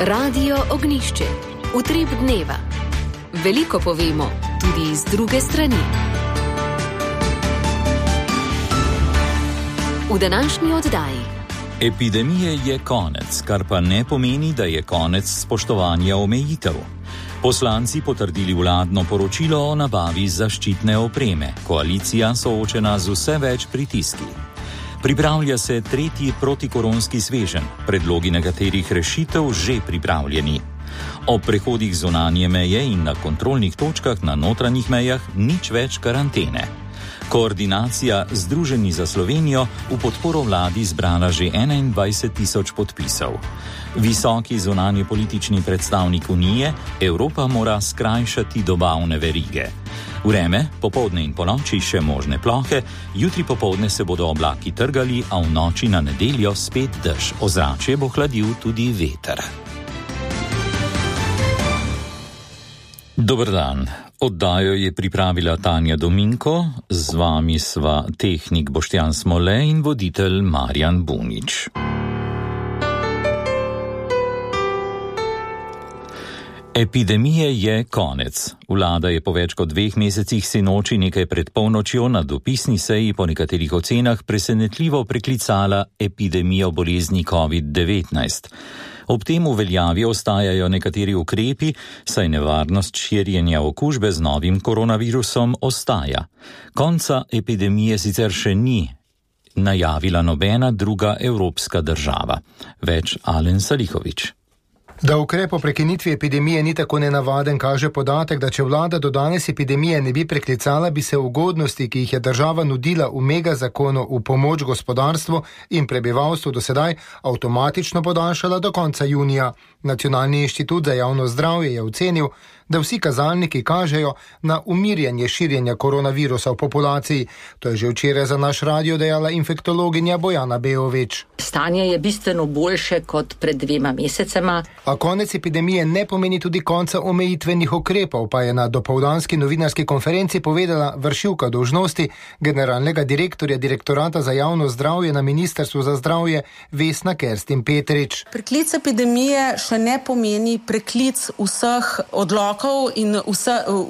Radio Ognjišče. Utrip dneva. Veliko povemo, tudi iz druge strani. V današnji oddaji. Epidemije je konec, kar pa ne pomeni, da je konec spoštovanja omejitev. Poslanci potrdili vladno poročilo o nabavi zaščitne opreme. Koalicija soočena z vse več pritiski. Pripravlja se tretji protikoronski sveženj, predlogi nekaterih rešitev že pripravljeni. Ob prehodih zunanje meje in na kontrolnih točkah na notranjih mejah nič več karantene. Koordinacija Združeni za Slovenijo v podporo vladi zbrala že 21.000 podpisov. Visoki zunanji politični predstavnik Unije, Evropa mora skrajšati dobavne verige. Vreme, popoldne in ponoči še možne plohe, jutri popoldne se bodo oblaki trgali, a v noči na nedeljo spet dež. Ozračje bo hladil tudi veter. Dober dan. Oddajo je pripravila Tanja Dominko, z vami sva tehnik Boštjan Smole in voditelj Marjan Bunič. Epidemije je konec. Vlada je po več kot 2 mesecih sinoči nekaj pred polnočjo na dopisni seji po nekaterih ocenah presenetljivo preklicala epidemijo bolezni COVID-19. Ob tem v veljavi ostajajo nekateri ukrepi, saj nevarnost širjenja okužbe z novim koronavirusom ostaja. Konca epidemije sicer še ni najavila nobena druga evropska država. Več Alen Salihovič. Da ukrep o prekinitvi epidemije ni tako nenavaden, kaže podatek, da če vlada do danes epidemije ne bi preklicala, bi se ugodnosti, ki jih je država nudila v megazakonu v pomoč gospodarstvu in prebivalstvu do sedaj, avtomatično podaljšala do konca junija. Nacionalni inštitut za javno zdravje je ocenil, da vsi kazalniki kažejo na umirjanje širjenja koronavirusa v populaciji. To je že včeraj za naš radio dejala infektologinja Bojana Beovič. Stanje je bistveno boljše kot pred 2 mesecema. A konec epidemije ne pomeni tudi konca omejitvenih ukrepov, pa je na dopoldanski novinarski konferenci povedala vršilka dolžnosti generalnega direktorja Direktorata za javno zdravje na Ministrstvu za zdravje Vesna Kerstin Petrič. Preklic epidemije še ne pomeni preklic vseh odlokov in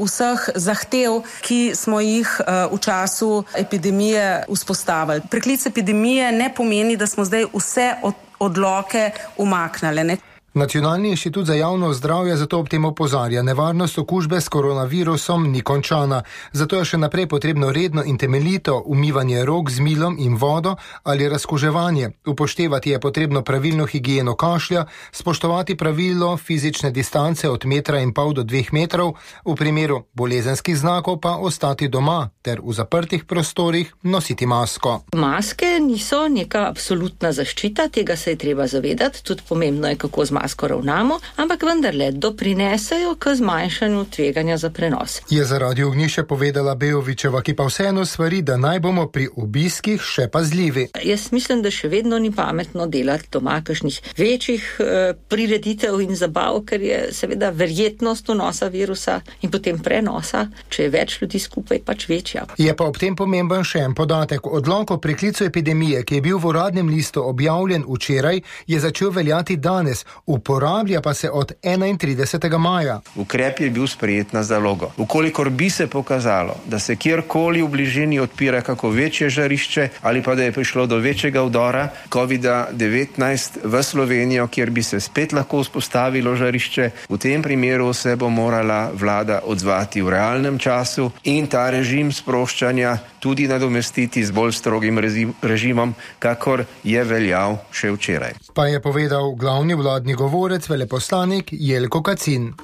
vseh zahtev, ki smo jih v času epidemije vzpostavili. Preklic epidemije ne pomeni, da smo zdaj vse odloke umaknili. Nacionalni inštitut za javno zdravje zato ob tem opozarja, nevarnost okužbe s koronavirusom ni končana. Zato je še naprej potrebno redno in temeljito umivanje rok z milom in vodo ali razkuževanje. Upoštevati je potrebno pravilno higieno kašlja, spoštovati pravilo fizične distance od 1,5 metra do 2 metrov, v primeru bolezenskih znakov pa ostati doma ter v zaprtih prostorih nositi masko. Maske niso neka absolutna zaščita, tega se je treba zavedati, tudi pomembno je, kako z masko ravnamo, ampak vendarle doprinesejo k zmanjšanju tveganja za prenos. Je za Radio Ognjišče povedala Beovičeva, ki pa vseeno svari, da naj bomo pri obiskih še pazljivi. Jaz mislim, da še vedno ni pametno delati doma kakšnih večjih prireditev in zabav, ker je seveda verjetnost vnosa virusa in potem prenosa, če je več ljudi skupaj, pač večja. Je pa ob tem pomemben še en podatek. Odlok o preklicu epidemije, ki je bil v Uradnem listu objavljen včeraj, je začel veljati danes. Uporablja pa se od 31. maja. Ukrep je bil sprejet na zalogo. Ukolikor bi se pokazalo, da se kjerkoli v bližini odpira kako večje žarišče ali pa da je prišlo do večjega vdora COVID-19 v Slovenijo, kjer bi se spet lahko vzpostavilo žarišče, v tem primeru se bo morala vlada odzvati v realnem času in ta režim sproščanja tudi nadomestiti z bolj strogim režimom, kakor je veljal še včeraj. Pa je povedal glavni vladni govorec, veleposlanik Jelko Kacin.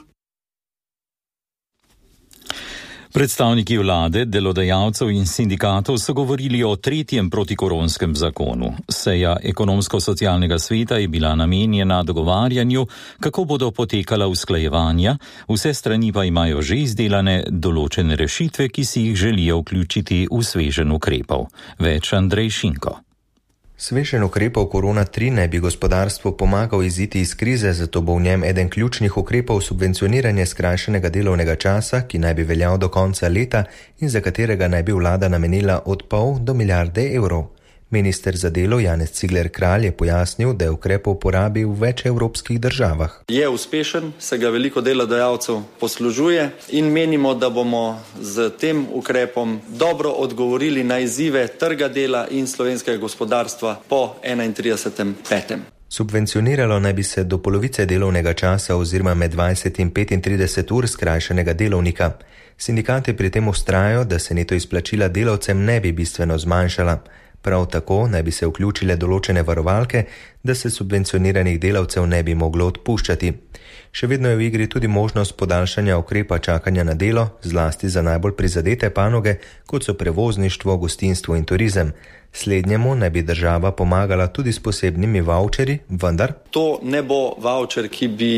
Predstavniki vlade, delodajalcev in sindikatov so govorili o tretjem protikoronskem zakonu. Seja ekonomsko-socialnega sveta je bila namenjena dogovarjanju, kako bodo potekala usklajevanja, vse strani pa imajo že izdelane določene rešitve, ki si jih želijo vključiti v sveženj ukrepov. Več Andrej Šinko. Sveženj ukrepov korona 3 naj bi gospodarstvu pomagal iziti iz krize, zato bo v njem eden ključnih ukrepov subvencioniranje skrajšanega delovnega časa, ki naj bi veljal do konca leta in za katerega naj bi vlada namenila od 0,5 do milijarde evrov. Minister za delo Janez Cigler Kralj je pojasnil, da je ukrep v uporabi v več evropskih državah. Je uspešen, se ga veliko delodajalcev poslužuje in menimo, da bomo z tem ukrepom dobro odgovorili na izzive trga dela in slovenskega gospodarstva po 31.5. Subvencioniralo naj bi se do polovice delovnega časa oziroma med 20 in 35 ur skrajšanega delovnika. Sindikati pri tem vztrajajo, da se neto izplačila delavcem ne bi bistveno zmanjšala. Prav tako naj bi se vključile določene varovalke, da se subvencioniranih delavcev ne bi moglo odpuščati. Še vedno je v igri tudi možnost podaljšanja ukrepa čakanja na delo, zlasti za najbolj prizadete panoge, kot so prevozništvo, gostinstvo in turizem. Slednjemu naj bi država pomagala tudi s posebnimi vavčerji, vendar to ne bo vavčer, ki bi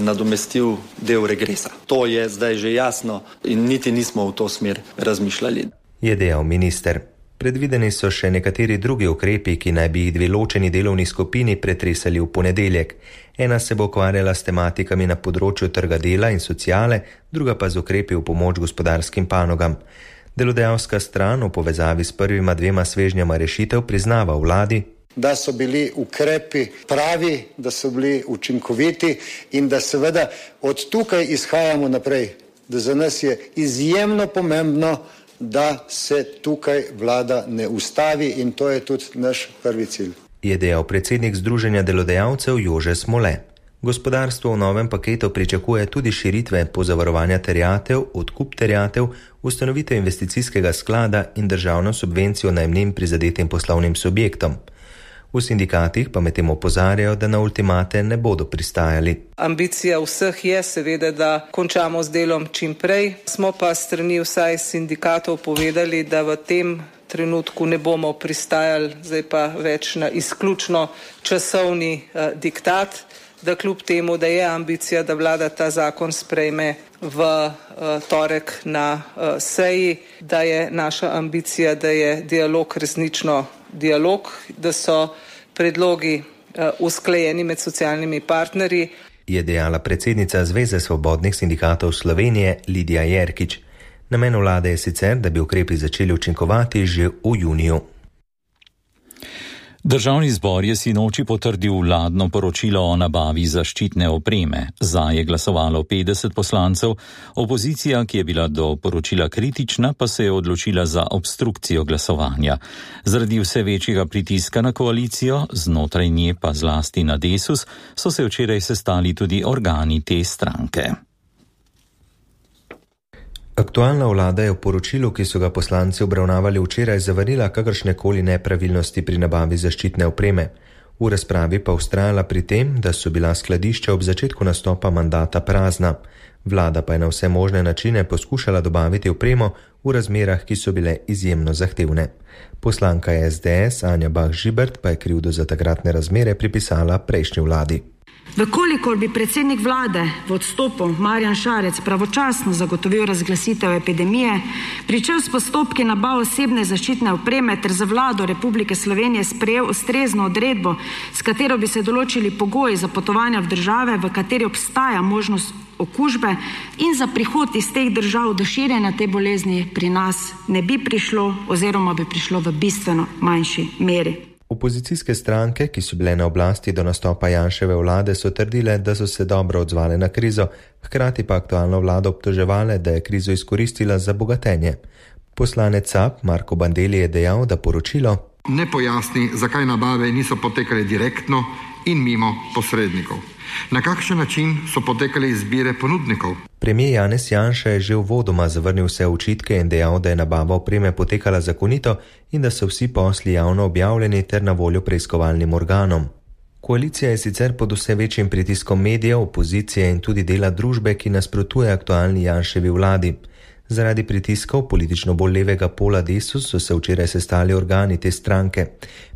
nadomestil del regresa. To je zdaj že jasno in niti nismo v to smer razmišljali. Je dejal minister. Predvideni so še nekateri drugi ukrepi, ki naj bi jih dve ločeni delovni skupini pretresali v ponedeljek. Ena se bo ukvarjala s tematikami na področju trga dela in sociale, druga pa z ukrepi v pomoč gospodarskim panogam. Delodajalska stran v povezavi s prvima dvema svežnjama rešitev priznava vladi, da so bili ukrepi pravi, da so bili učinkoviti in da seveda od tukaj izhajamo naprej. Da za nas je izjemno pomembno, da se tukaj vlada ne ustavi in to je tudi naš prvi cilj. Je dejal predsednik Združenja delodajalcev Jože Smole. Gospodarstvo v novem paketu pričakuje tudi širitve pozavarovanja terjatev, odkup terjatev, ustanovitev investicijskega sklada in državno subvencijo najemnin prizadetim poslovnim subjektom. V sindikatih pa medtem opozarjajo, da na ultimate ne bodo pristajali. Ambicija vseh je seveda, da končamo z delom čim prej. Smo pa strani vsaj sindikatov povedali, da v tem trenutku ne bomo pristajali, zdaj pa več na izključno časovni diktat, da kljub temu, da je ambicija, da vlada ta zakon sprejme v torek na seji, da je naša ambicija, da je dialog resnično dialog, da so predlogi usklajeni med socialnimi partnerji. Je dejala predsednica Zveze svobodnih sindikatov Slovenije Lidija Jerkič. Namen vlade je sicer, da bi ukrepi začeli učinkovati že v juniju. Državni zbor je sinoči potrdil vladno poročilo o nabavi zaščitne opreme. Za je glasovalo 50 poslancev, opozicija, ki je bila do poročila kritična, pa se je odločila za obstrukcijo glasovanja. Zaradi vse večjega pritiska na koalicijo, znotraj nje pa zlasti na Desus, so se včeraj sestali tudi organi te stranke. Aktualna vlada je v poročilu, ki so ga poslanci obravnavali včeraj, zavrnila kakršnekoli nepravilnosti pri nabavi zaščitne opreme. V razpravi pa vztrajala pri tem, da so bila skladišča ob začetku nastopa mandata prazna. Vlada pa je na vse možne načine poskušala dobaviti opremo v razmerah, ki so bile izjemno zahtevne. Poslanka SDS Anja Bah Žibert pa je krivdo za takratne razmere pripisala prejšnji vladi. Vkolikor bi predsednik vlade v odstopu Marjan Šarec pravočasno zagotovil razglasitev epidemije, pričel s postopki nabav osebne zaščitne opreme ter za vlado Republike Slovenije sprejel ustrezno odredbo, s katero bi se določili pogoji za potovanja v države, v kateri obstaja možnost okužbe in za prihod iz teh držav do širjenja te bolezni pri nas ne bi prišlo oziroma bi prišlo v bistveno manjši meri. Opozicijske stranke, ki so bile na oblasti do nastopa Janševe vlade, so trdile, da so se dobro odzvale na krizo, hkrati pa aktualno vlado obtoževale, da je krizo izkoristila za bogatenje. Poslanec SAB Marko Bandelli je dejal, da poročilo ne pojasni, zakaj nabave niso potekale direktno in mimo posrednikov. Na kakšen način so potekale izbire ponudnikov? Premijer Janez Janša je že uvodoma zavrnil vse očitke in dejal, da je nabava opreme potekala zakonito in da so vsi posli javno objavljeni ter na voljo preiskovalnim organom. Koalicija je sicer pod vse večjim pritiskom medijev, opozicije in tudi dela družbe, ki nasprotuje aktualni Janševi vladi. Zaradi pritiskov politično bolj levega pola Desus so se včeraj sestali organi te stranke.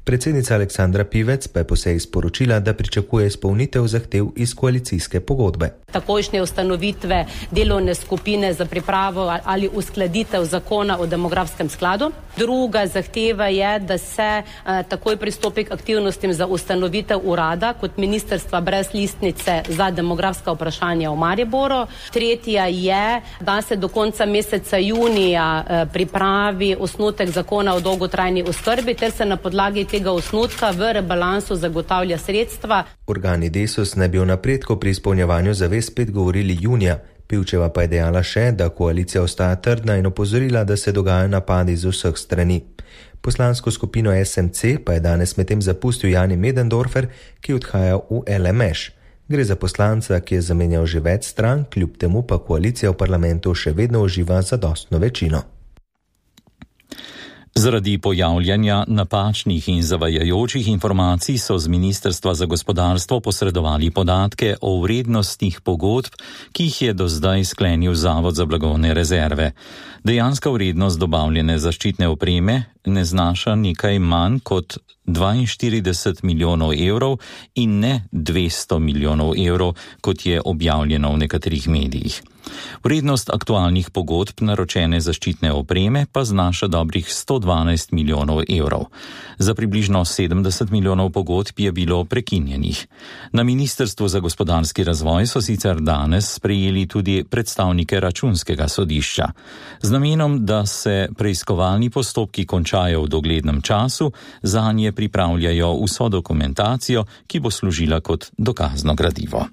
Predsednica Aleksandra Pivec pa je po seji sporočila, da pričakuje izpolnitev zahtev iz koalicijske pogodbe. Takojšnje ustanovitve delovne skupine za pripravo ali uskladitev zakona o demografskem skladu. Druga zahteva je, da se takoj pristopi k aktivnostim za ustanovitev urada kot ministrstva brez listnice za demografska vprašanja v Mariboru. Tretja je, da se do konca meseca junija pripravi osnutek zakona o dolgotrajni oskrbi ter se na podlagi tega osnutka v rebalansu zagotavlja sredstva. Organi Desus naj bi o napredku pri izpolnjevanju zavez spet govorili junija. Pivčeva pa je dejala še, da koalicija ostaja trdna in opozorila, da se dogajajo napadi z vseh strani. Poslansko skupino SMC pa je danes medtem zapustil Jani Möderndorfer, ki odhaja v LMŠ. Gre za poslanca, ki je zamenjal že več strank, kljub temu pa koalicija v parlamentu še vedno uživa zadostno večino. Zaradi pojavljanja napačnih in zavajajočih informacij so z Ministrstva za gospodarstvo posredovali podatke o vrednostih pogodb, ki jih je do zdaj sklenil Zavod za blagovne rezerve. Dejanska vrednost dobavljene zaščitne opreme ne znaša nekaj manj kot 42 milijonov evrov in ne 200 milijonov evrov, kot je objavljeno v nekaterih medijih. Vrednost aktualnih pogodb naročene zaščitne opreme pa znaša dobrih 112 milijonov evrov. Za približno 70 milijonov pogodb je bilo prekinjenih. Na Ministrstvu za gospodarski razvoj so sicer danes sprejeli tudi predstavnike Računskega sodišča. Z namenom, da se preiskovalni postopki končajo v doglednem času, zanje pripravljajo vso dokumentacijo, ki bo služila kot dokazno gradivo.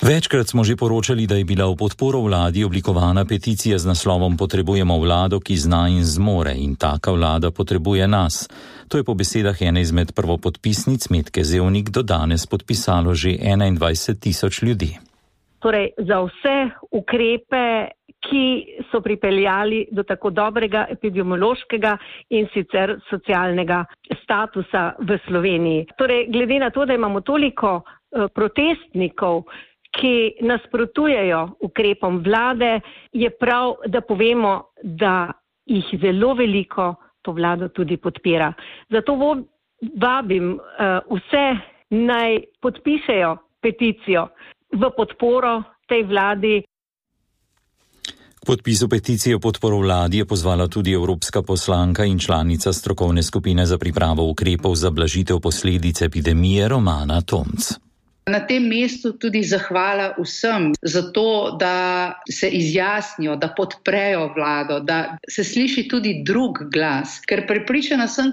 Večkrat smo že poročali, da je bila v podporo vladi oblikovana peticija z naslovom Potrebujemo vlado, ki zna in zmore, in taka vlada potrebuje nas. To je po besedah ene izmed prvopodpisnic Metke Zevnik do danes podpisalo že 21 tisoč ljudi. Torej, za vse ukrepe, ki so pripeljali do tako dobrega epidemiološkega in sicer socialnega statusa v Sloveniji. Torej, glede na to, da imamo toliko protestnikov, ki nasprotujejo ukrepom vlade, je prav, da povemo, da jih zelo veliko to vlado tudi podpira. Zato vabim vse naj podpišejo peticijo v podporo tej vladi. K podpisu peticije v podporo vladi je pozvala tudi evropska poslanka in članica strokovne skupine za pripravo ukrepov za blažitev posledic epidemije Romana Tomc. Na tem mestu tudi zahvala vsem za to, da se izjasnijo, da podprejo vlado, da se sliši tudi drug glas. Ker prepričana sem,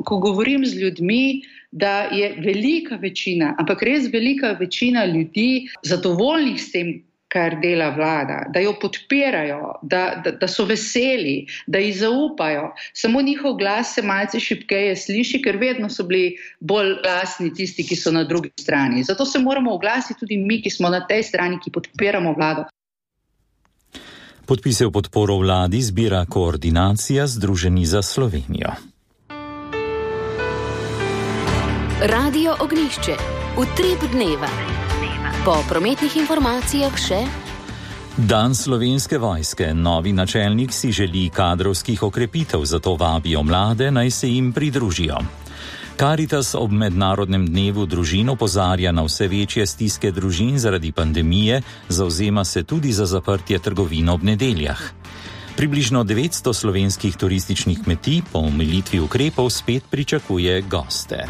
ko govorim z ljudmi, da je velika večina, ampak res velika večina ljudi zadovoljnih s tem, kar dela vlada, da jo podpirajo, da so veseli, da ji zaupajo. Samo njihov glas se malce šibkeje sliši, ker vedno so bili bolj glasni tisti, ki so na drugi strani. Zato se moramo oglasiti tudi mi, ki smo na tej strani, ki podpiramo vlado. Podpise v podporo vladi zbira koordinacija Združeni za Slovenijo. Radio Ognjišče. Utrip dneva. Po prometnih informacijah še. Dan Slovenske vojske. Novi načelnik si želi kadrovskih okrepitev, zato vabijo mlade, naj se jim pridružijo. Karitas ob mednarodnem dnevu družin opozarja na vse večje stiske družin zaradi pandemije, zavzema se tudi za zaprtje trgovin ob nedeljah. Približno 900 slovenskih turističnih kmetij po omilitvi ukrepov spet pričakuje goste.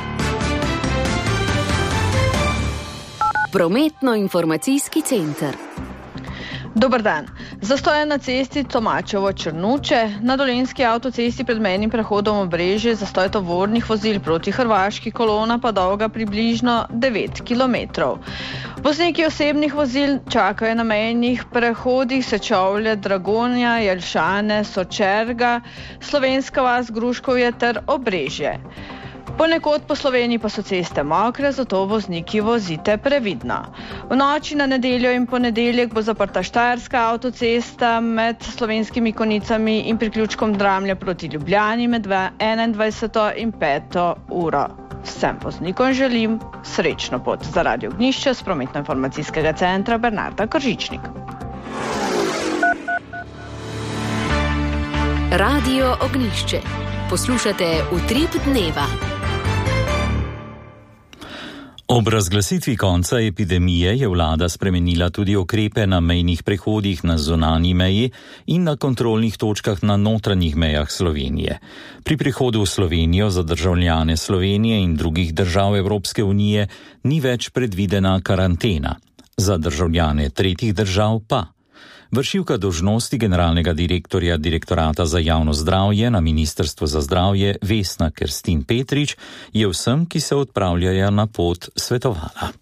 Prometno-informacijski center. Dober dan. Zastoje na cesti Tomačevo-Črnuče, na Dolenjski avtocesti pred mejnim prehodom Obrežje, zastoj tovornih vozil proti Hrvaški, kolona pa dolga približno 9 km. Vozniki osebnih vozil čakajo na mejnih prehodih Sečovlje, Dragonja, Jelšane, Sočerga, Slovenska vas, Gruškovje ter Obrežje. Ponekod po Sloveniji pa so ceste mokre, zato vozniki vozite previdno. V noči na nedeljo in ponedeljek bo zaprta Štajerska avtocesta med Slovenskimi Konicami in priključkom Dramlja proti Ljubljani med 21. in 5. uro. Vsem voznikom želim srečno pot. Za Radio Ognjišče s prometno-informacijskega centra Bernarda Kržičnik. Radio Ognjišče. Poslušate Utrip dneva. Ob razglasitvi konca epidemije je vlada spremenila tudi ukrepe na mejnih prehodih na zunanji meji in na kontrolnih točkah na notranjih mejah Slovenije. Pri prihodu v Slovenijo za državljane Slovenije in drugih držav Evropske unije ni več predvidena karantena. Za državljane tretjih držav pa. Vršilka dolžnosti generalnega direktorja Direktorata za javno zdravje na Ministrstvu za zdravje Vesna Kerstin Petrič je vsem, ki se odpravljajo na pot, svetovala.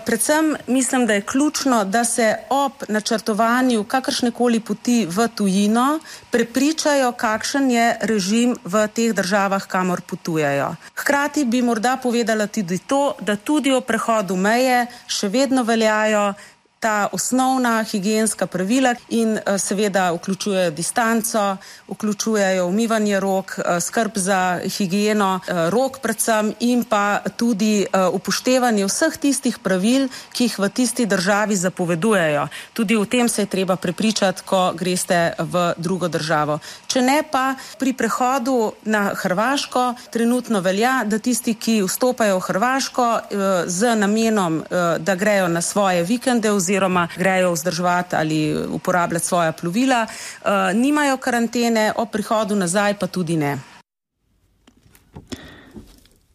Predvsem mislim, da je ključno, da se ob načrtovanju kakršnekoli poti v tujino prepričajo, kakšen je režim v teh državah, kamor potujejo. Hkrati bi morda povedala tudi to, da tudi o prehodu meje še vedno veljajo ta osnovna higienska pravila in seveda vključujejo distanco, vključujejo umivanje rok, skrb za higieno rok predvsem in pa tudi upoštevanje vseh tistih pravil, ki jih v tisti državi zapovedujejo. Tudi o tem se je treba prepričati, ko greste v drugo državo. Če ne pa pri prehodu na Hrvaško trenutno velja, da tisti, ki vstopajo v Hrvaško z namenom, da grejo na svoje vikende oziroma grejo vzdrževati ali uporabljati svoja plovila, nimajo karantene, o prihodu nazaj pa tudi ne.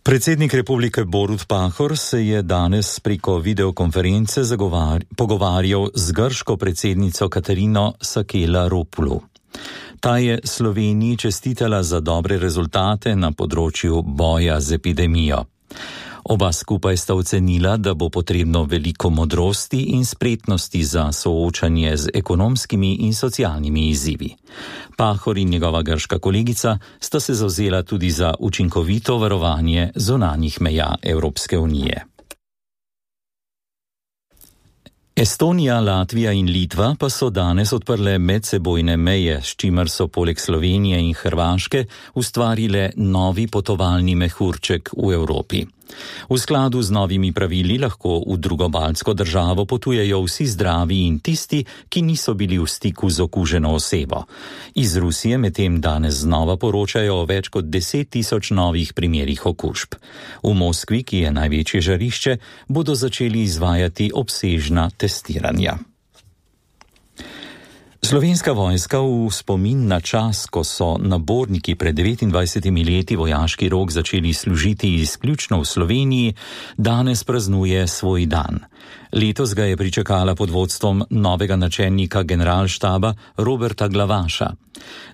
Predsednik Republike Borut Pahor se je danes preko videokonference pogovarjal z grško predsednico Katarino Sakela-Ropoulou. Ta je Sloveniji čestitala za dobre rezultate na področju boja z epidemijo. Oba skupaj sta ocenila, da bo potrebno veliko modrosti in spretnosti za soočanje z ekonomskimi in socialnimi izzivi. Pahor in njegova grška kolegica sta se zavzela tudi za učinkovito varovanje zunanjih meja Evropske unije. Estonija, Latvija in Litva pa so danes odprle medsebojne meje, s čimer so poleg Slovenije in Hrvaške ustvarile novi potovalni mehurček v Evropi. V skladu z novimi pravili lahko v drugo baltsko državo potujejo vsi zdravi in tisti, ki niso bili v stiku z okuženo osebo. Iz Rusije medtem danes znova poročajo o več kot 10 000 novih primerih okužb. V Moskvi, ki je največje žarišče, bodo začeli izvajati obsežna testiranja. Slovenska vojska v spomin na čas, ko so naborniki pred 29 leti vojaški rok začeli služiti izključno v Sloveniji, danes praznuje svoj dan. Letos ga je pričakala pod vodstvom novega načelnika generalštaba Roberta Glavaša.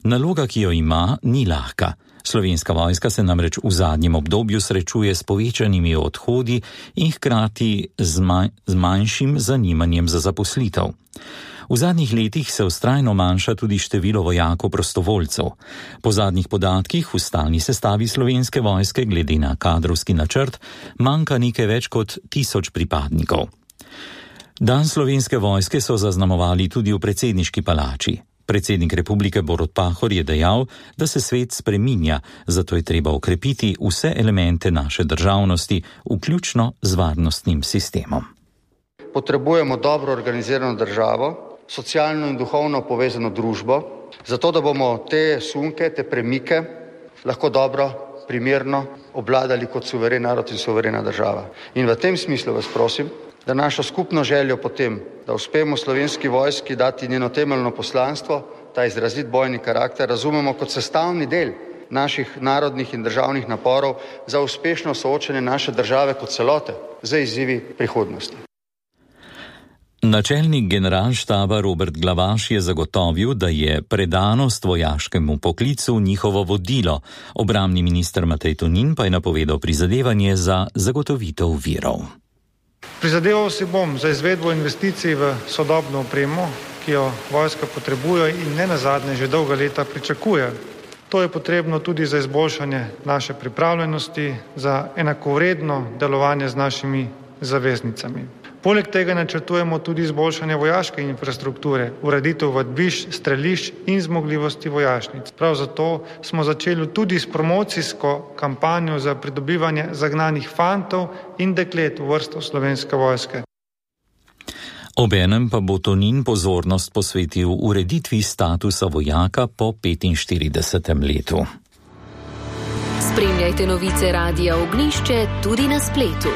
Naloga, ki jo ima, ni lahka. Slovenska vojska se namreč v zadnjem obdobju srečuje s povečanimi odhodi in hkrati z manjšim zanimanjem za zaposlitev. V zadnjih letih se vztrajno manjša tudi število vojakov prostovoljcev. Po zadnjih podatkih v stalni sestavi Slovenske vojske glede na kadrovski načrt manjka nekaj več kot 1000 pripadnikov. Dan Slovenske vojske so zaznamovali tudi v predsedniški palači. Predsednik Republike Borut Pahor je dejal, da se svet spreminja, zato je treba okrepiti vse elemente naše državnosti, vključno z varnostnim sistemom. Potrebujemo dobro organizirano državo, socialno in duhovno povezano družbo, zato da bomo te sunke, te premike lahko dobro, primerno obvladali kot suveren narod in suverena država. In v tem smislu vas prosim, da našo skupno željo potem, da uspemo Slovenski vojski dati njeno temeljno poslanstvo, ta izrazit bojni karakter, razumemo kot sestavni del naših narodnih in državnih naporov za uspešno soočanje naše države kot celote z izzivi prihodnosti. Načelnik generalštaba Robert Glavaš je zagotovil, da je predanost vojaškemu poklicu njihovo vodilo. Obrambni minister Matej Tonin pa je napovedal prizadevanje za zagotovitev virov. Prizadeval si bom za izvedbo investicij v sodobno opremo, ki jo vojska potrebuje in ne nazadnje že dolga leta pričakuje. To je potrebno tudi za izboljšanje naše pripravljenosti, za enakovredno delovanje z našimi zaveznicami. Poleg tega načrtujemo tudi izboljšanje vojaške infrastrukture, ureditev vadbišč, strelišč in zmogljivosti vojašnic. Prav zato smo začeli tudi s promocijsko kampanjo za pridobivanje zagnanih fantov in deklet v vrsto Slovenske vojske. Obenem pa bo Tonin pozornost posvetil ureditvi statusa vojaka po 45. letu. Spremljajte novice Radia Ognjišče tudi na spletu.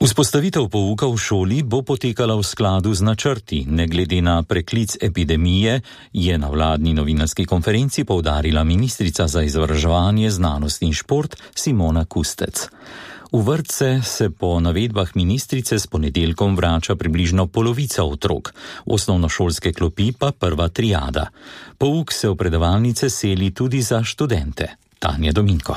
Vzpostavitev pouka v šoli bo potekala v skladu z načrti, ne glede na preklic epidemije, je na vladni novinarski konferenci poudarila ministrica za izobraževanje, znanost in šport Simona Kustec. V vrtce se po navedbah ministrice s ponedeljkom vrača približno polovica otrok, v osnovnošolske klopi pa prva triada. Pouk se v predavalnice seli tudi za študente. Tanja Dominko.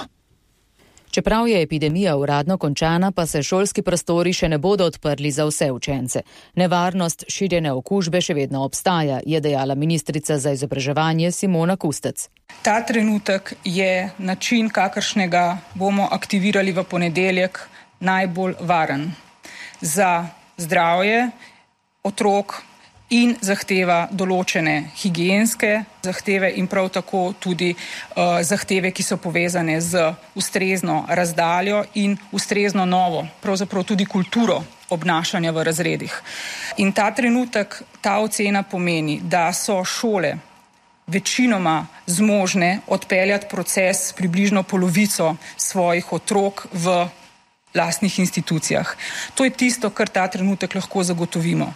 Čeprav je epidemija uradno končana, pa se šolski prostori še ne bodo odprli za vse učence. Nevarnost širjenja okužbe še vedno obstaja, je dejala ministrica za izobraževanje Simona Kustec. Ta trenutek je način, kakršnega bomo aktivirali v ponedeljek, najbolj varen za zdravje otrok in zahteva določene higienske zahteve in prav tako tudi zahteve, ki so povezane z ustrezno razdaljo in ustrezno novo, pravzaprav tudi kulturo obnašanja v razredih. In ta trenutek, ta ocena pomeni, da so šole večinoma zmožne odpeljati proces približno polovico svojih otrok v lastnih institucijah. To je tisto, kar ta trenutek lahko zagotovimo.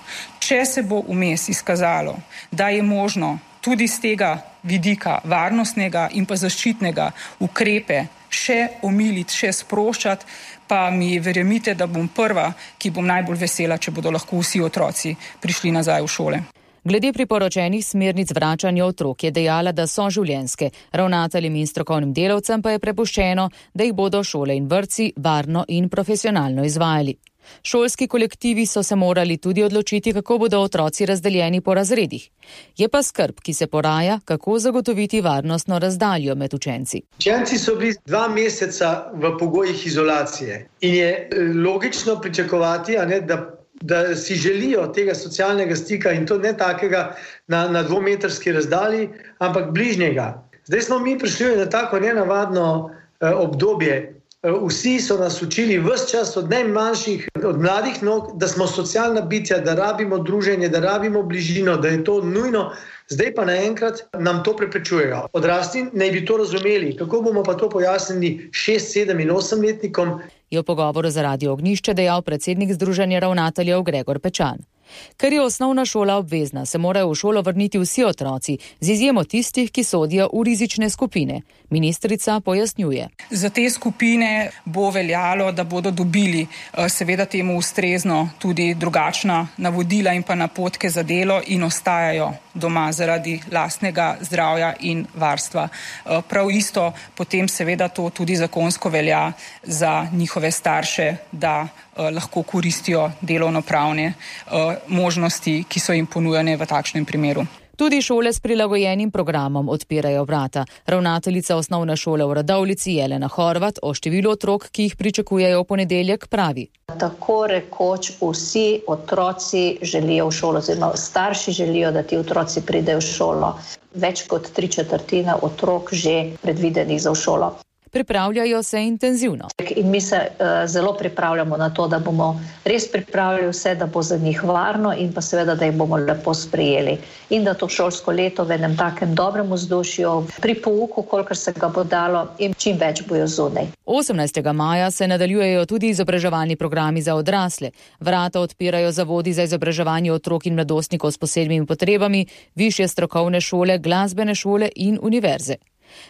Če se bo vmes izkazalo, da je možno tudi z tega vidika varnostnega in pa zaščitnega ukrepe še omiliti, še sproščati, pa mi verjemite, da bom prva, ki bom najbolj vesela, če bodo lahko vsi otroci prišli nazaj v šole. Glede priporočenih smernic vračanja otrok je dejala, da so življenjske. Ravnateljem in strokovnim delavcem pa je prepuščeno, da jih bodo šole in vrtci varno in profesionalno izvajali. Šolski kolektivi so se morali tudi odločiti, kako bodo otroci razdeljeni po razredih. Je pa skrb, ki se poraja, kako zagotoviti varnostno razdaljo med učenci. Učenci so bili 2 meseca v pogojih izolacije in je logično pričakovati, da si želijo tega socialnega stika in to ne takega na 2-metrski razdalji, ampak bližnjega. Zdaj smo mi prišli na tako nenavadno obdobje. Vsi so nas učili ves čas od najmanjših, od mladih nog, da smo socialna bitja, da rabimo druženje, da rabimo bližino, da je to nujno. Zdaj pa naenkrat nam to preprečujejo. Odrasli naj bi to razumeli. Kako bomo pa to pojasnili 6, 7 in 8-letnikom? Je v pogovoru za Radio Ognjišče dejal predsednik Združenja ravnateljev Gregor Pečan. Ker je osnovna šola obvezna, se morajo v šolo vrniti vsi otroci, z izjemo tistih, ki sodijo v rizične skupine. Ministrica pojasnjuje. Za te skupine bo veljalo, da bodo dobili seveda temu ustrezno tudi drugačna navodila in pa napotke za delo in ostajajo doma zaradi lastnega zdravja in varstva. Prav isto potem seveda to tudi zakonsko velja za njihove starše, da lahko koristijo delovnopravne možnosti, ki so jim ponujene v takšnem primeru. Tudi šole s prilagojenim programom odpirajo vrata. Ravnateljica osnovne šole v Radovljici Jelena Horvat o številu otrok, ki jih pričakujejo v ponedeljek, pravi. Tako rekoč vsi otroci želijo v šolo, oziroma starši želijo, da ti otroci pridejo v šolo. Več kot 3/4 otrok že predvidenih za v šolo. Pripravljajo se intenzivno. In mi se zelo pripravljamo na to, da bomo res pripravili vse, da bo za njih varno in pa seveda, da jih bomo lepo sprejeli. In da to šolsko leto v enem takem dobrem vzdušju, pri pouku, kolikor se ga bo dalo in čim več bojo zunaj. 18. maja se nadaljujejo tudi izobraževalni programi za odrasle. Vrata odpirajo zavodi za izobraževanje otrok in mladostnikov s posebnimi potrebami, višje strokovne šole, glasbene šole in univerze.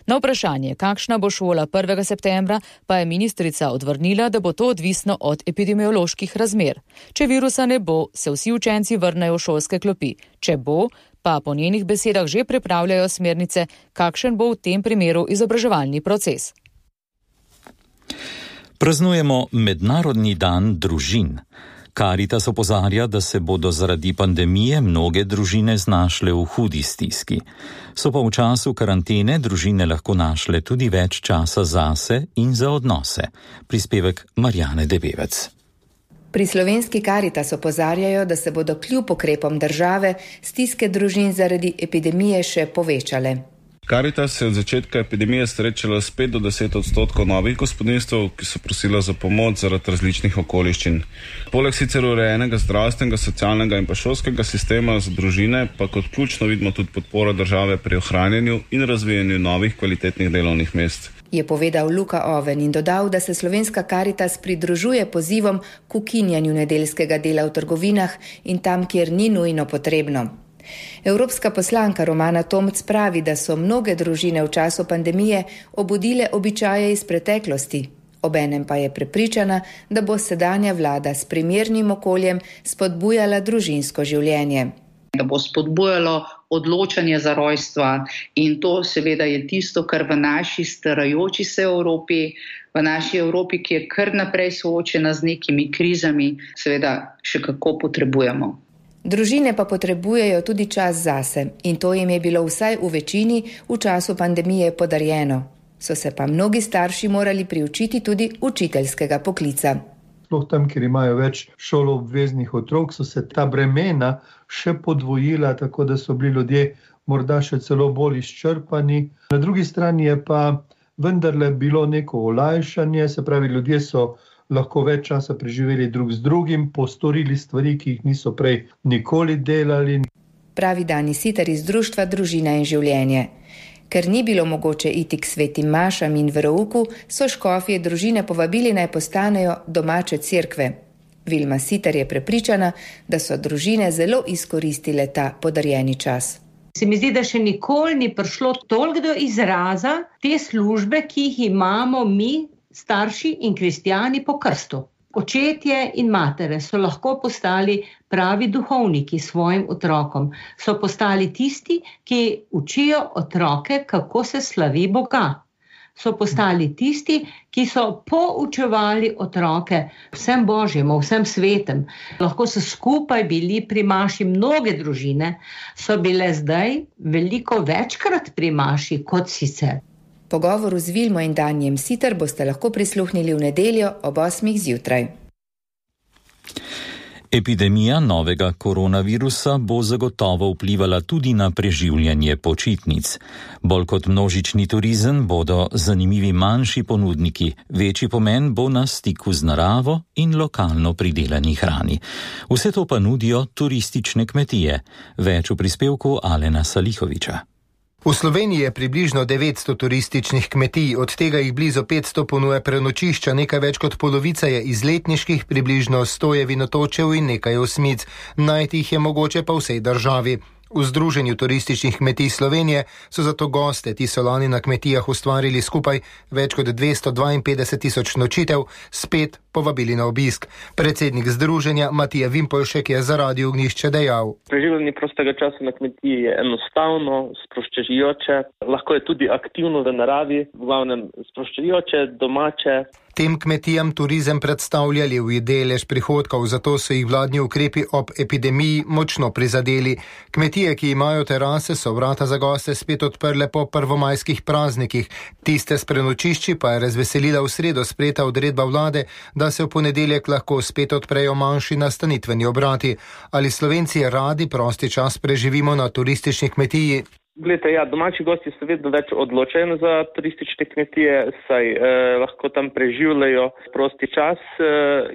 Na vprašanje, kakšna bo šola 1. septembra, pa je ministrica odvrnila, da bo to odvisno od epidemioloških razmer. Če virusa ne bo, se vsi učenci vrnejo v šolske klopi. Če bo, pa po njenih besedah že pripravljajo smernice, kakšen bo v tem primeru izobraževalni proces. Praznujemo Mednarodni dan družin. Karitas opozarja, da se bodo zaradi pandemije mnoge družine znašle v hudi stiski. So pa v času karantene družine lahko našle tudi več časa zase in za odnose. Prispevek Marjane Debevec. Pri slovenski Karitas opozarjajo, da se bodo kljub ukrepom države stiske družin zaradi epidemije še povečale. Karitas se je od začetka epidemije srečala s 5 do 10% novih gospodinjstev, ki so prosila za pomoč zaradi različnih okoliščin. Poleg sicer urejenega zdravstvenega, socialnega in pa šolskega sistema za družine, pa kot ključno vidimo tudi podporo države pri ohranjanju in razvijanju novih kvalitetnih delovnih mest. Je povedal Luka Oven in dodal, da se Slovenska Karitas pridružuje pozivom k ukinjanju nedeljskega dela v trgovinah in tam, kjer ni nujno potrebno. Evropska poslanka Romana Tomc pravi, da so mnoge družine v času pandemije obudile običaje iz preteklosti. Obenem pa je prepričana, da bo sedanja vlada s primernim okoljem spodbujala družinsko življenje. Da bo spodbujalo odločanje za rojstva in to seveda je tisto, kar v naši starajoči se Evropi, v naši Evropi, ki je kar naprej soočena z nekimi krizami, seveda še kako potrebujemo. Družine pa potrebujejo tudi čas zase in to jim je bilo vsaj v večini v času pandemije podarjeno. So se pa mnogi starši morali priučiti tudi učiteljskega poklica. Sploh tam, kjer imajo več šoloobveznih otrok, so se ta bremena še podvojila, tako da so bili ljudje morda še celo bolj izčrpani. Na drugi strani je pa vendarle bilo neko olajšanje, se pravi, ljudje so lahko več časa preživeli drug z drugim, postorili stvari, ki jih niso prej nikoli delali. Pravi Dani Sitar iz Društva Družina in življenje. Ker ni bilo mogoče iti k svetim mašam in verouku, so škofje družine povabili naj postanejo domače cerkve. Vilma Sitar je prepričana, da so družine zelo izkoristile ta podarjeni čas. Se mi zdi, da še nikoli ni prišlo toliko do izraza te službe, ki jih imamo mi, starši in kristjani po krstu. Očetje in matere so lahko postali pravi duhovniki svojim otrokom. So postali tisti, ki učijo otroke, kako se slavi Boga. So postali tisti, ki so poučevali otroke vsem Božjemu, vsem svetem. Lahko so skupaj bili pri maši, mnoge družine so bile zdaj veliko večkrat pri maši kot sicer. Pogovoru z Vilmo in Danjem Sitar boste lahko prisluhnili v nedeljo ob 8. zjutraj. Epidemija novega koronavirusa bo zagotovo vplivala tudi na preživljanje počitnic. Bolj kot množični turizem bodo zanimivi manjši ponudniki, večji pomen bo na stiku z naravo in lokalno pridelani hrani. Vse to pa nudijo turistične kmetije. Več v prispevku Alena Salihoviča. V Sloveniji je približno 900 turističnih kmetij, od tega jih blizu 500 ponuja prenočišča, nekaj več kot polovica je izletniških, približno 100 je vinotočev in nekaj osmic. Najti jih je mogoče pa v vsej državi. V Združenju turističnih kmetij Slovenije so zato goste, ti so lani na kmetijah ustvarili skupaj več kot 252.000 nočitev, spet povabili na obisk. Predsednik združenja Matija Vimpolšek je za Radio Ognjišče dejal: Preživljanje prostega časa na kmetiji je enostavno, sproščujoče, lahko je tudi aktivno v naravi, v glavnem sproščujoče, domače. Tem kmetijam turizem predstavlja levji delež prihodkov, zato so jih vladni ukrepi ob epidemiji močno prizadeli. Kmetije, ki imajo terase, so vrata za goste spet odprle po prvomajskih praznikih. Tiste s prenočišči pa je razveselila v sredo sprejeta odredba vlade, da se v ponedeljek lahko spet odprejo manjši nastanitveni obrati. Ali Slovenci radi prosti čas preživimo na turistični kmetiji? Glejte, domači gosti se vedno več odločajo za turistične kmetije, saj lahko tam preživljajo prosti čas,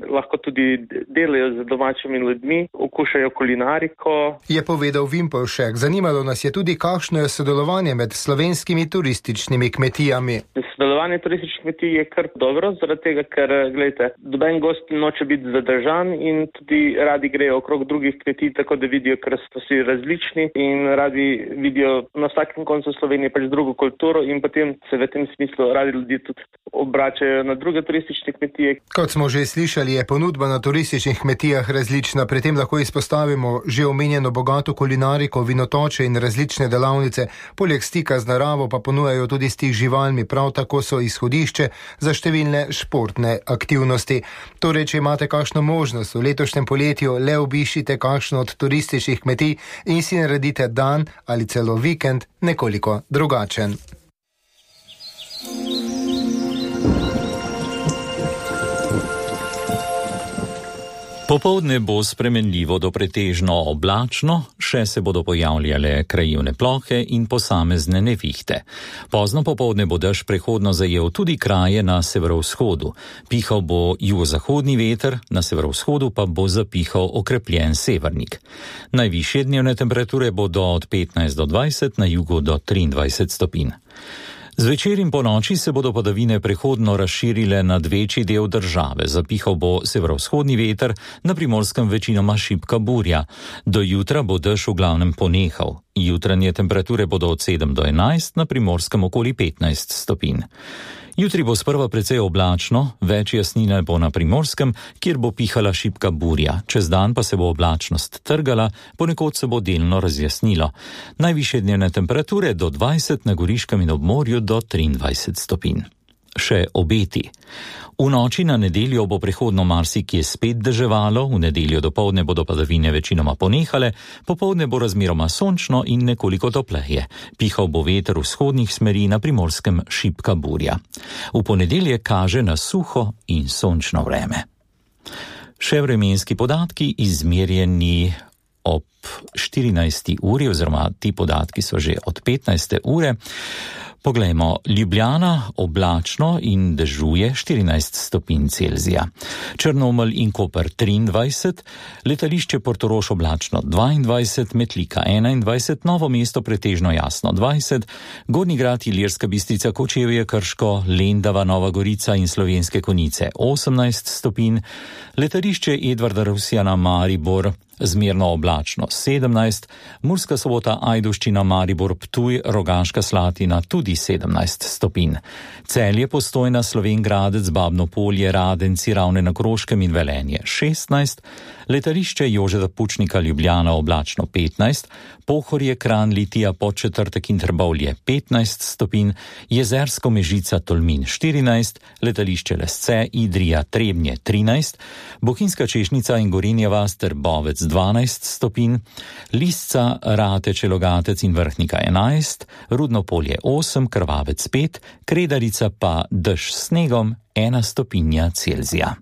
lahko tudi delajo z domačimi ljudmi, okušajo kulinariko. Je povedal Vimpolšek. Zanimalo nas je tudi, kakšno je sodelovanje med slovenskimi turističnimi kmetijami. Sodelovanje turističnih kmetij je kar dobro, zaradi tega, ker, gledajte, noben gost noče biti zadržan in tudi radi grejo okrog drugih kmetij, tako da vidijo, ker so vsi različni in radi vidijo na vsakem koncu Slovenije pač drugo kulturo in potem se v tem smislu radi ljudi tudi obračajo na druge turistične kmetije. Kot smo že slišali, je ponudba na turističnih kmetijah različna. Pri tem lahko izpostavimo že omenjeno bogato kulinariko, vinotoče in različne delavnice. Poleg stika z naravo pa ponujajo tudi stik z živalmi, prav tako so izhodišče za številne športne aktivnosti. Torej, če imate kakšno možnost v letošnjem poletju, le obiščite kakšno od turističnih kmetij in si naredite dan ali celo vikend nekoliko drugačen. Popoldne bo spremenljivo do pretežno oblačno, še se bodo pojavljale krajevne plohe in posamezne nevihte. Pozno popoldne bo dež prehodno zajel tudi kraje na severovzhodu. Pihal bo jugozahodni veter, na severovzhodu pa bo zapihal okrepljen severnik. Najvišje dnevne temperature bodo od 15 do 20, na jugu do 23 stopinj. Zvečer in po noči se bodo padavine prehodno razširile nad večji del države. Zapihal bo severovzhodni veter, na Primorskem večinoma šibka burja. Do jutra bo dež v glavnem ponehal. Jutranje temperature bodo od 7 do 11, na Primorskem okoli 15 stopinj. Jutri bo sprva precej oblačno, več jasnine bo na Primorskem, kjer bo pihala šibka burja. Čez dan pa se bo oblačnost trgala, ponekod se bo delno razjasnilo. Najvišje dnevne temperature do 20, na Goriškem in ob morju do 23 stopinj. Še obeti. V noči na nedeljo bo prehodno marsikje spet deževalo, v nedeljo dopoldne bodo padavine večinoma ponehale, popoldne bo razmeroma sončno in nekoliko topleje. Pihal bo veter vzhodnih smeri, na Primorskem šibka burja. V ponedeljek kaže na suho in sončno vreme. Še vremenski podatki izmerjeni ob 14. uri, oziroma ti podatki so že od 15. ure. Poglejmo, Ljubljana oblačno in dežuje 14 stopinj Celzija. Črnomelj in Koper 23, letališče Portorož oblačno 22, Metlika 21, Novo mesto pretežno jasno 20, Gornji Grad, Ilirska Bistrica, Kočevje, Krško, Lendava, Nova Gorica in Slovenske Konjice 18 stopinj, letališče Edvarda Rusjana Maribor zmerno oblačno 17, Murska Sobota, Ajdovščina, Maribor, Ptuj, Rogaška Slatina tudi 17 stopinj. Celje, Postojna, Slovenj Gradec, Babno Polje, Radenci, Ravne na Koroškem in Velenje 16, letališče Jožeta Pučnika Ljubljana oblačno 15, Pohorje, Kranj, Litija, Podčetrtek in Trbovlje 15 stopinj, Jezersko, Mežica, Tolmin 14, letališče Lesce, Idrija, Trebnje 13, Bohinjska Češnica in Gorenja vas ter Bovec 12 stopinj, Lisca, Rateče, Logatec in Vrhnika 11, Rudno Polje 8, Krvavec 5, Kredarica pa dež s snegom 1 stopinja Celzija.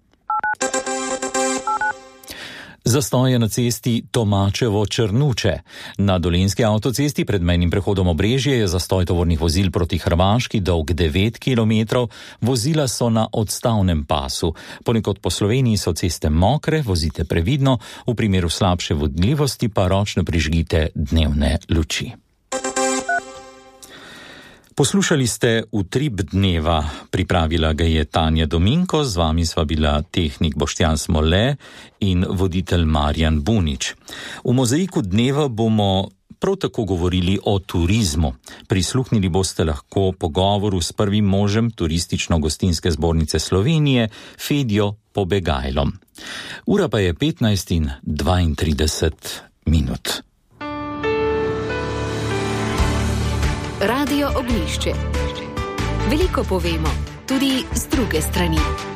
Zastoje na cesti Tomačevo-Črnuče. Na Dolenjski avtocesti pred mejnim prehodom Obrežje je zastoj tovornih vozil proti Hrvaški dolg 9 km, vozila so na odstavnem pasu. Ponekod po Sloveniji so ceste mokre, vozite previdno, v primeru slabše vodljivosti pa ročno prižgite dnevne luči. Poslušali ste Utrip dneva, pripravila ga je Tanja Dominko, z vami sva bila tehnik Boštjan Smole in voditelj Marjan Bunič. V mozaiku dneva bomo prav tako govorili o turizmu. Prisluhnili boste lahko pogovoru s prvim možem Turistično-gostinske zbornice Slovenije, Fedjo Pobegajlom. Ura pa je 15:32. Radio Ognjišče. Veliko povemo, tudi z druge strani.